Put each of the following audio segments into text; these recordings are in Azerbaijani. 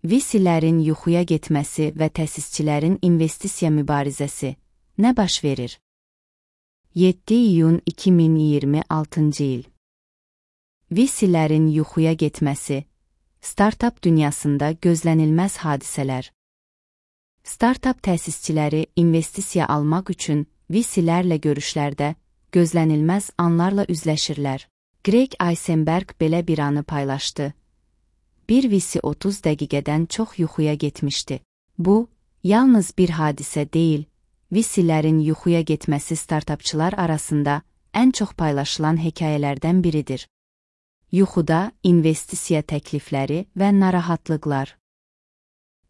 VC-lərin yuxuya getməsi və təsisçilərin investisiya mübarizəsi. Nə baş verir? 7 iyun 2026 il. VC-lərin yuxuya getməsi. Startap dünyasında gözlənilməz hadisələr. Startap təsisçiləri investisiya almaq üçün VC-lərlə görüşlərdə gözlənilməz anlarla üzləşirlər. Greg Eisenberg belə bir anı paylaşdı. Bir VC 30 dəqiqədən çox yuxuya getmişdi. Bu, yalnız bir hadisə deyil, VC-lərin yuxuya getməsi startapçılar arasında ən çox paylaşılan hekayələrdən biridir. Yuxuda investisiya təklifləri və narahatlıqlar.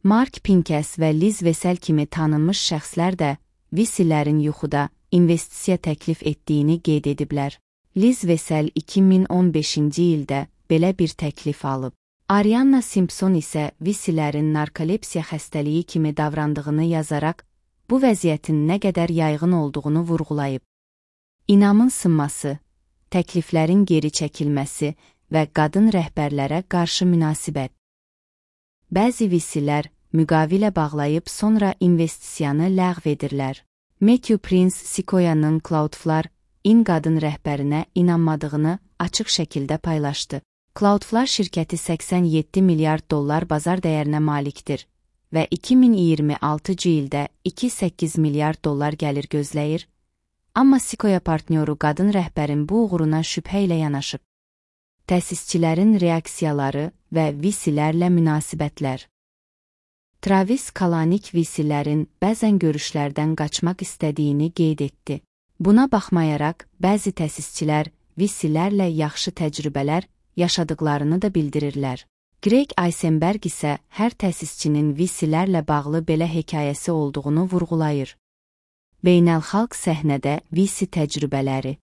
Mark Pincus və Liz Vesel kimi tanınmış şəxslər də VC-lərin yuxuda investisiya təklif etdiyini qeyd ediblər. Liz Vesel 2015-ci ildə belə bir təklif alıb. Arianna Simpson isə VC-lərin narkolepsiya xəstəliyi kimi davrandığını yazaraq, bu vəziyyətin nə qədər yayğın olduğunu vurğulayıb. İnamın sınması, təkliflərin geri çəkilməsi və qadın rəhbərlərə qarşı münasibət. Bəzi VC-lər müqavilə bağlayıb sonra investisiyanı ləğv edirlər. Matthew Prince Sequoia'nın Cloudflare qadın rəhbərinə inanmadığını açıq şəkildə paylaşdı. Cloudflare şirkəti $87 milyard bazar dəyərinə malikdir və 2026-cı ildə $2,8 milyard gəlir gözləyir, amma Sequoia partnyoru qadın rəhbərin bu uğuruna şübhə ilə yanaşıb. Təsisçilərin reaksiyaları və VC-lərlə münasibətlər. Travis Kalanick VC-lərin bəzən görüşlərdən qaçmaq istədiyini qeyd etdi. Buna baxmayaraq, bəzi təsisçilər VC-lərlə yaxşı təcrübələr yaşadıqlarını da bildirirlər. Greg Eisenberg isə hər təsisçinin VC-lərlə bağlı belə hekayəsi olduğunu vurğulayır. Beynəlxalq səhnədə VC təcrübələri.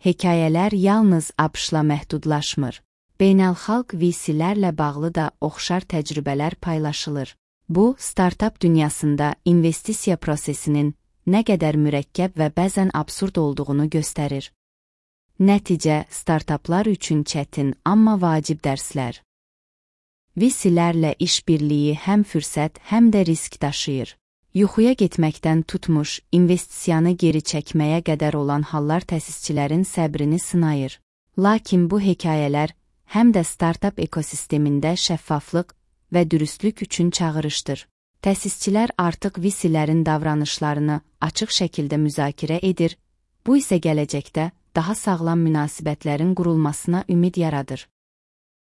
Hekayələr yalnız ABŞ-la məhdudlaşmır. Beynəlxalq VC-lərlə bağlı da oxşar təcrübələr paylaşılır. Bu, startap dünyasında investisiya prosesinin nə qədər mürəkkəb və bəzən absurd olduğunu göstərir. Nəticə, startaplar üçün çətin, amma vacib dərslər. VC-lərlə işbirliyi həm fürsət, həm də risk daşıyır. Yuxuya getməkdən tutmuş, investisiyanı geri çəkməyə qədər olan hallar təsisçilərin səbrini sınayır. Lakin bu hekayələr həm də startap ekosistemində şəffaflıq və dürüstlük üçün çağırışdır. Təsisçilər artıq VC-lərin davranışlarını açıq şəkildə müzakirə edir, bu isə gələcəkdə daha sağlam münasibətlərin qurulmasına ümid yaradır.